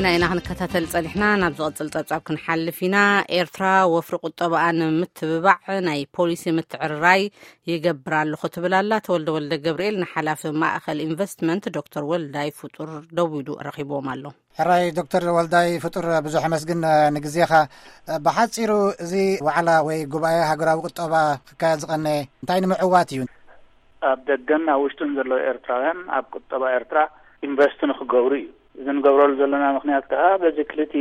ናይና ክንከታተል ጸኒሕና፣ ናብ ዝቕጽል ጸብጻብ ክንሓልፍ ኢና። ኤርትራ ወፍሪ ቁጠባኣ ንምትብባዕ ናይ ፖሊሲ ምትዕርራይ ይገብር ኣለኹ ትብል ኣላ። ተወልደ ወልደ ገብርኤል ንሓላፊ ማእኸል ኢንቨስትመንት ዶክተር ወልዳይ ፍጡር ደዊሉ ረኺብዎም ኣሎ። ሕራይ ዶክተር ወልዳይ ፍጡር፣ ብዙሕ ኣመስግን ንግዜኻ። ብሓጺሩ፣ እዚ ዋዕላ ወይ ጉባኤ ሃገራዊ ቁጠባ ክካየድ ዝቐነየ እንታይ ንምዕዋት እዩ? ኣብ ደገን ኣብ ውሽጥን ዘለዉ ኤርትራውያን ኣብ ቁጠባ ኤርትራ ኢንቨስት ንክገብሩ እዩ። እዚ ንገብረሉ ዘለና ምኽንያት ከኣ፣ በዚ ክልቲ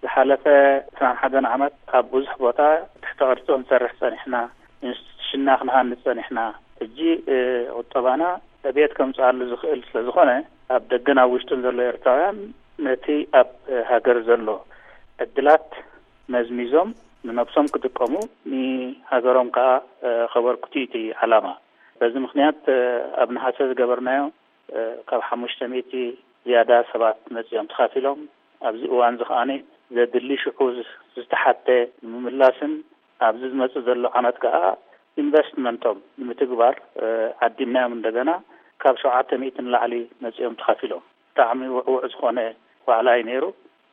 ዝሓለፈ ዕስራን ሓደን ዓመት ኣብ ብዙሕ ቦታ ትሕተ ቅርጺ ክንሰርሕ ጸኒሕና፣ ኢንስቲትዩሽንና ክንሃንጽ ጸኒሕና። ሕጂ ቁጠባና ዕብየት ከምጽኣሉ ዝኽእል ስለ ዝኾነ፣ ኣብ ደገን ኣብ ውሽጥን ዘሎ ኤርትራውያን ነቲ ኣብ ሃገር ዘሎ ዕድላት መዝሚዞም ንነብሶም ክጥቀሙ፣ ንሃገሮም ከኣ ከበርክቱ እዩ እቲ ዓላማ። በዚ ምኽንያት ኣብ ነሓሰ ዝገበርናዮ ካብ ሓሙሽተ ሚእቲ ዝያዳ ሰባት መጺኦም ተኻፊሎም። ኣብዚ እዋን እዚ ከኣ ዘድሊ ሽዑ ዝተሓተ ንምምላስን ኣብዚ ዝመጽእ ዘሎ ዓመት ከኣ ኢንቨስትመንቶም ንምትግባር ዓዲምናዮም። እንደገና ካብ ሸውዓተ ሚእቲ ንላዕሊ መጺኦም ተኻፊሎም። ብጣዕሚ ውዕውዕ ዝኾነ ዋዕላ እዩ ነይሩ።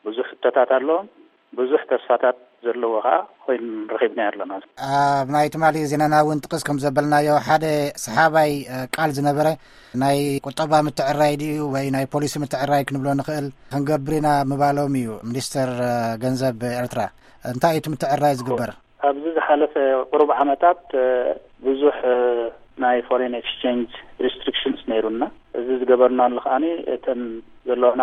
ብዙሕ ሕቶታት ኣለዎም። ብዙሕ ተስፋታት ዘለዎ ከኣ ኮይኑ ረኺብናዮ ኣለና። ኣብ ናይ ትማሊ ዜናና እውን ጥቅስ ከም ዘበልናዮ፣ ሓደ ሰሓባይ ቃል ዝነበረ ናይ ቁጠባ ምትዕራይ ድዩ ወይ ናይ ፖሊሲ ምትዕራይ ክንብሎ ንኽእል፣ ክንገብር ኢና ምባሎም እዩ ሚኒስተር ገንዘብ ኤርትራ። እንታይ እዩ እቲ ምትዕራይ ዝግበር? ኣብዚ ዝሓለፈ ቁሩብ ዓመታት ብዙሕ ናይ ፎሬን ኤክስቼንጅ ሪስትሪክሽንስ ነይሩና። እዚ ዝገበርናሉ ከኣ እተን ዘለዋና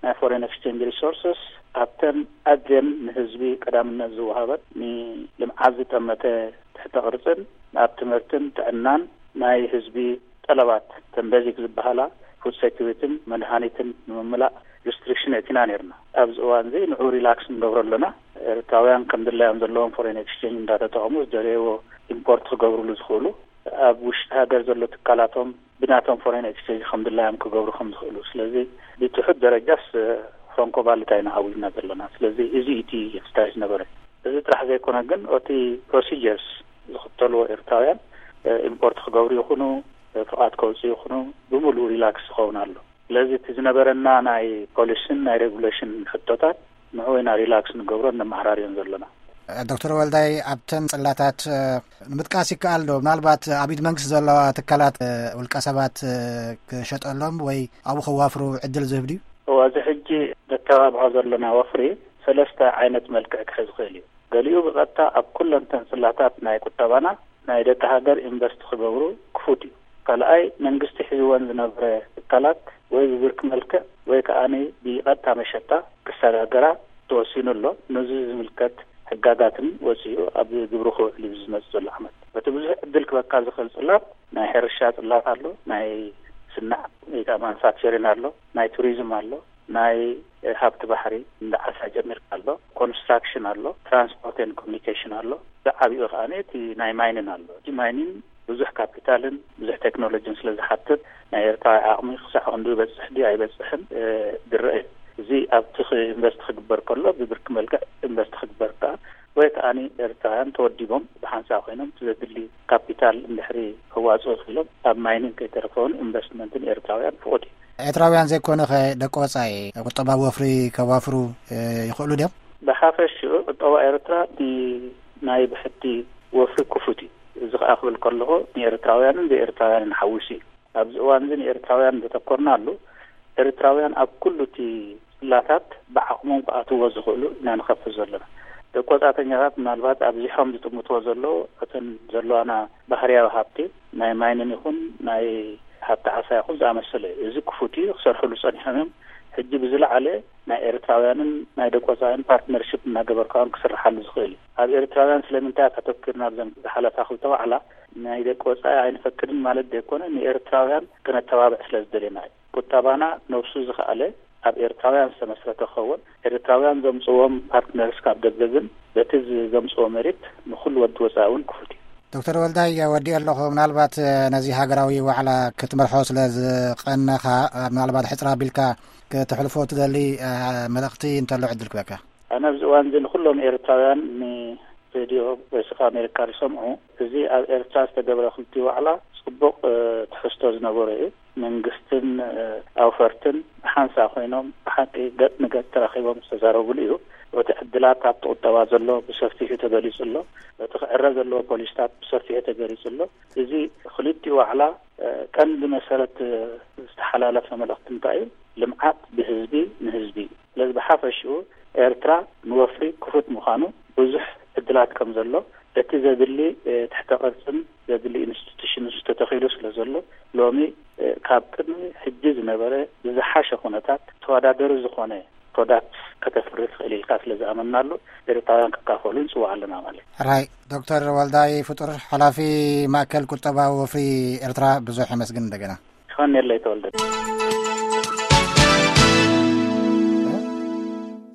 ናይ ፎሬን ኤክስቼንጅ ሪሶርስስ ኣብተን ኣዝየን ንህዝቢ ቀዳምነት ዝወሃበት፣ ንልምዓት ዝጠመተ ትሕተ ቅርጽን ኣብ ትምህርትን ጥዕናን ናይ ህዝቢ ጠለባት፣ ተን ቤዚክ ዝበሃላ ፉድ ሴኩሪቲን መድሃኒትን ንምምላእ ሪስትሪክሽን ኣእቲና ነይርና። ኣብዚ እዋን እዚ ንዑ ሪላክስ ንገብሮ ኣለና። ኤርትራውያን ከም ድላዮም ዘለዎም ፎሬን ኤክስቼንጅ እንዳተጠቐሙ ዝደለይዎ ኢምፖርት ክገብርሉ ዝኽእሉ፣ ኣብ ውሽጢ ሃገር ዘሎ ትካላቶም ብናቶም ፎሬን ኤክስቼንጅ ከም ድላዮም ክገብሩ ከም ዝኽእሉ። ስለዚ ብትሑት ደረጃስ ፍራንኮ ቫሉታ ኢና ዓዊልና ዘለና። ስለዚ እዚ እቲ ኤክሰርሳይዝ ነበረ። እዚ ጥራሕ ዘይኮነ ግን፣ እቲ ፕሮሲጀርስ ዝኽተልዎ ኤርትራውያን ኢምፖርት ክገብሩ ይኹኑ ፍቓድ ከውፅኡ ይኹኑ ብምሉእ ሪላክስ ዝኸውን ኣሎ። ስለዚ እቲ ዝነበረና ናይ ፖሊሲን ናይ ሬጉሌሽን ሕቶታት ንዑ ኢና ሪላክስ ንገብሮን ነመዓራርዮን ዘለና። ዶክተር ወልዳይ፣ ኣብተን ጽላታት ንምጥቃስ ይከኣል ዶ? ምናልባት ኣብ ኢድ መንግስቲ ዘለዋ ትካላት ውልቀ ሰባት ክሸጠሎም ወይ ኣብኡ ከዋፍሩ ዕድል ዝህብ ድዩ? እዋ፣ እዚ ሕጂ ነተባብዖ ዘለና ወፍሪ ሰለስተ ዓይነት መልክዕ ክሕዝ ይኽእል እዩ። ገሊኡ ብቐጥታ ኣብ ኩለን ተን ጽላታት ናይ ቁጠባና ናይ ደቂ ሃገር ኢንቨስት ክገብሩ ክፉት እዩ። ካልኣይ፣ መንግስቲ ሒዝወን ዝነበረ ትካላት ወይ ብብርኪ መልክዕ ወይ ከኣ ብቐጥታ መሸጣ ክሰጋገራ ተወሲኑ ኣሎ። ነዚ ዝምልከት ሕጋጋትን ወጺኡ ኣብ ግብሪ ክውዕል እዩ ዝመጽእ ዘሎ ዓመት። በቲ ብዙሕ ዕድል ክበካ ዝኽእል ጽላት፣ ናይ ሕርሻ ጽላት ኣሎ፣ ናይ ስናዕ ወይ ከኣ ማኑፋክቸሪን ኣሎ፣ ናይ ቱሪዝም ኣሎ፣ ናይ ሃብቲ ባሕሪ እንዳ ዓሳ ጀሚርካ ኣሎ፣ ኮንስትራክሽን ኣሎ፣ ትራንስፖርት ኤንድ ኮሚኒኬሽን ኣሎ። ዝዓቢኡ ከኣ እቲ ናይ ማይኒን ኣሎ። እቲ ማይኒን ብዙሕ ካፒታልን ብዙሕ ቴክኖሎጂን ስለ ዝሓትት፣ ናይ ኤርትራዊ ዓቕሚ ክሳዕ ክንዲ ይበጽሕ ድዩ ኣይበጽሕን ዝረአ እዩ። እዚ ኣብቲ ኢንቨስት ክግበር ከሎ ብብርኪ መልክዕ ኢንቨስት ክግበር ከኣ ወይ ከኣ ኤርትራውያን ተወዲቦም ብሓንሳእ ኮይኖም ዘድሊ ካፒታል እንድሕሪ ከዋፅኡ ክኢሎም ኣብ ማይኒንግ ከይተረፈውን ኢንቨስትመንትን ኤርትራውያን ፍቑድ እዩ። ኤርትራውያን ዘይኮነ ከ ደቂ ወፃኢ ቁጠባዊ ወፍሪ ከዋፍሩ ይኽእሉ ድዮም? ብሓፈሽኡ ቁጠባ ኤርትራ ናይ ብሕቲ ወፍሪ ክፉት እዩ። እዚ ከኣ ክብል ከለኹ ንኤርትራውያንን ዘይኤርትራውያንን ሓዊሱ እዩ። ኣብዚ እዋን እዚ ንኤርትራውያን ዘተኮርናሉ፣ ኤርትራውያን ኣብ ኩሉ እቲ ጽላታት ብዓቕሞም ክኣትዎ ዝኽእሉ ኢና ንኸፍት ዘለና። ደቂ ወጻእተኛታት ምናልባት ኣብዚሖም ዝጥምትዎ ዘለዉ እተን ዘለዋና ባህርያዊ ሃብቲ ናይ ማይንን ይኹን ናይ ሃብቲ ዓሳ ይኹን ዝኣመሰለ እዩ። እዚ ክፉት እዩ፣ ክሰርሕሉ ጸኒሖም እዮም። ሕጂ ብዝለዓለ ናይ ኤርትራውያንን ናይ ደቂ ወጻእን ፓርትነርሽፕ እናገበርካውን ክስርሓሉ ዝኽእል እዩ። ኣብ ኤርትራውያን ስለምንታይ ኣተኪርና ኣብዘን ዝሓለፋ ክልተ ዋዕላ? ናይ ደቂ ወጻኢ ኣይንፈቅድን ማለት ዘይኮነ፣ ንኤርትራውያን ክነተባብዕ ስለ ዝደለና እዩ። ቁጠባና ነብሱ ዝኸኣለ ኣብ ኤርትራውያን ዝተመስረተ ክኸውን፣ ኤርትራውያን ዘምጽዎም ፓርትነርስ ካብ ደገ ግን በቲ ዘምጽዎ ሜሪት ንኹሉ ወዲ ወጻኢ እውን ክፉት እዩ። ዶክተር ወልዳይ፣ ወዲኤ ኣለኹ። ምናልባት ነዚ ሃገራዊ ዋዕላ ክትመርሖ ስለ ዝቐነኻ፣ ምናልባት ሕጽር ኣቢልካ ከተሕልፎ ትደሊ መልእኽቲ እንተሎ ዕድል ክበካ። ኣነ ኣብዚ እዋን እዚ ንኹሎም ኤርትራውያን ን- ሬድዮ ቮይስ ኦፍ ኣሜሪካ ዝሰምዑ፣ እዚ ኣብ ኤርትራ ዝተገብረ ክልቲኡ ዋዕላ ጽቡቕ ትሕዝቶ ዝነበሮ እዩ። መንግስትን ኣውፈርትን ብሓንሳ ኮይኖም ብሓቂ ገጥ ንገጥ ተራኺቦም ዝተዛረቡሉ እዩ። እቲ ዕድላት ኣብቲ ቁጠባ ዘሎ ብሰፊሑ ተገሊጹ ኣሎ። እቲ ክዕረ ዘለዎ ፖሊስታት ብሰፊሑ ተገሊጹ ኣሎ። እዚ ክልቲኡ ዋዕላ ቀንዲ መሰረት ዝተሓላለፈ መልእኽቲ እንታይ እዩ? ልምዓት ብህዝቢ ንህዝቢ እዩ። ስለዚ ብሓፈሽኡ ኤርትራ ንወፍሪ ክፉት ምዃኑ ብዙሕ ዕድላት ከም ዘሎ፣ እቲ ዘድሊ ትሕተ ቅርጽን ዘድሊ ኢንስቲቱሽን ተተኺሉ ስለ ዘሎ፣ ሎሚ ካብ ቅድሚ ሕጂ ዝነበረ ብዝሓሸ ኩነታት ተወዳደሪ ዝኾነ ፕሮዳክት ከተፍሪ ትኽእል ኢልካ ስለ ዝኣመናሉ፣ ኤርትራውያን ክካፈሉ ንጽውዕ ኣለና ማለት እዩ። ራይ ዶክተር ወልዳይ ፍጡር፣ ሓላፊ ማእከል ቁጠባዊ ወፍሪ ኤርትራ፣ ብዙሕ የመስግን። እንደገና ይኸን የለይ ተወልደ።